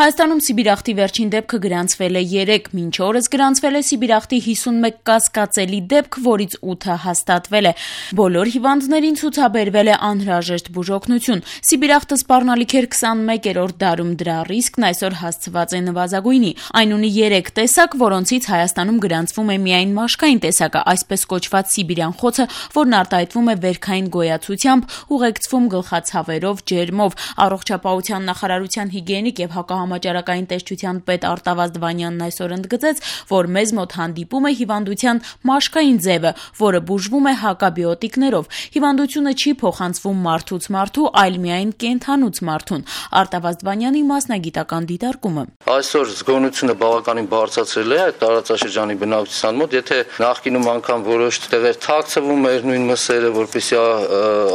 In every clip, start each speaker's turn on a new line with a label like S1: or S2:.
S1: Հայաստանում սիբիրախտի վերջին դեպքը գրանցվել է 3, մինչ օրս գրանցվել է սիբիրախտի 51 կասկածելի դեպք, որից 8-ը հաստատվել է։ Բոլոր հիվանդներին ցուցաբերվել է անհրաժեշտ բուժօգնություն։ Սիբիրախտը սպառնալիք էր 21-րդ դարում, դրա ռիսկն այսօր հասցված է նվազագույնի։ Այն ունի 3 տեսակ, որոնցից Հայաստանում գրանցվում է միայն մաշկային տեսակը, այսպես կոչված սիբիրյան խոցը, որն արտահայտվում է վերքային գոյացությամբ, ուղեկցվում գլխացավերով, ջերմով։ Առողջապահության նախարարության հիգիենիկ եւ համաճարակային տեսչության պետ Արտավազդ Վանյանն այսօր ընդգծեց, որ մեզ մոտ հանդիպում է հիվանդության մաշկային ձևը, որը բուժվում է հակաբիոտիկներով։ Հիվանդությունը չի փոխանցվում մարդուց մարդու, այլ միայն կենդանուց մարդուն։ Արտավազդ Վանյանի մասնագիտական դիտարկումը։
S2: Այսօր զգոնությունը բավականին բարձրացրել է այդ տարածաշրջանի բնակչության մոտ, եթե նախկինում անգամ որոշ տեղեր թաքցվում էր նույն մսերը, որպեսզի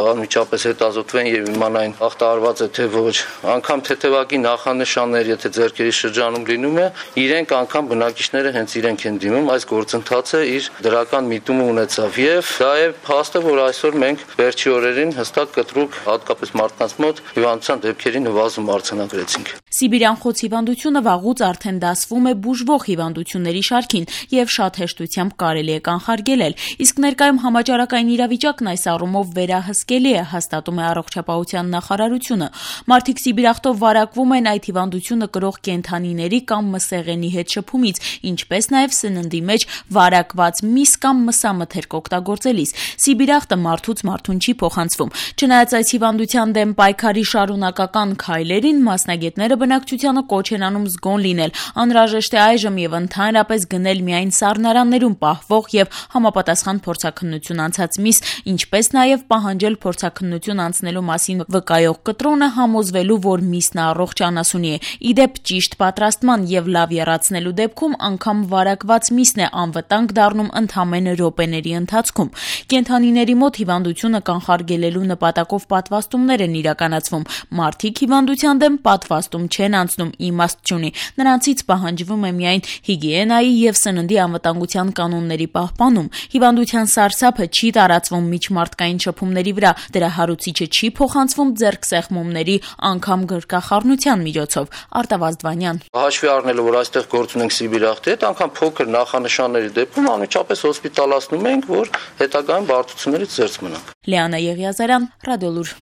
S2: անմիջապես հետազոտվեն եւ իմանային ախտարված է թե ոչ, անգամ թեթևակի նախանշաններ, եթե ձեռքերի շրջանում լինում է, իրենք անգամ բնակիչները հենց իրենք են դիմում, այս գործընթացը իր դրական միտումը ունեցավ եւ դա է փաստը, որ այսօր մենք վերջի օրերին հստակ կտրուկ հատկապես մարդկանց մոտ հիվանդության դեպքերի նվազում արձանագրեցինք։
S1: Սիբիրյան խոց հիվանդությունը վաղուց արդեն դասվում է բուժվող հիվանդությունների շարքին եւ շատ հեշտությամբ կարելի է կանխարգելել, իսկ ներկայում համաճարակային իրավիճակն այս առումով վերահսկելի է, հաստատում է առողջապահության նախարարությունը։ Մարդիկ սիբիրախտով վարակվում են այդ հիվանդությունը կրող կենդանիների կամ մսեղենի հետ շփումից, ինչպես նաեւ սննդի մեջ վարակված միս կամ մսամթերք օգտագործելիս։ Սիբիրախտը մարդուց մարդուն չի փոխանցվում։ Չնայած այս հիվանդության դեմ պայքարի շարունակական քայլերին, մասնագետները բնակչությանը կոչ են անում զգոն լինել։ Անհրաժեշտ է այժմ եւ ընդհանրապես գնել միայն սառնարաններում պահվող եւ համապատասխան փորձաքննություն անցած միս, ինչպես նաեւ պահանջել փորձաքննություն անցնելու մասին վկայող կտրոնը, համոզվելու, որ միսն առողջ անասունի է։ Իդեպ ճիշտ պատրաստման եւ լավ եռացնելու դեպքում անգամ վարակված միսն է անվտանգ դառնում ընդամենը րոպեների ընթացքում։ Կենդանիների մոտ հիվանդությունը կանխարգելելու նպատակով պատվաստումներ են իրականացվում։ Մարդիկ հիվանդության դեմ պատվաստում չեն անցնում, իմաստ չունի։ Նրանցից պահանջվում է միայն հիգիենայի եւ սննդի անվտանգության կանոնների պահպանում։ Հիվանդության սարսափը չի տարածվում միջմարտկային շփումների վրա, դրա հարուցիչը չի փոխանցվում ձեռքսեղմումների, անգամ գրկախառնության միջոցով։ Արտավազդ Վանյան։
S2: Հաշվի առնելով, որ այստեղ գործ ունենք սիբիրախտի հետ, անգամ փոքր նախանշանների դեպքում անմիջապես հոսպիտալացնում ենք, որ հետագայում բարդություններից զերծ մնանք։
S1: Լիանա Եղիազարյան, Ռադիոլուր։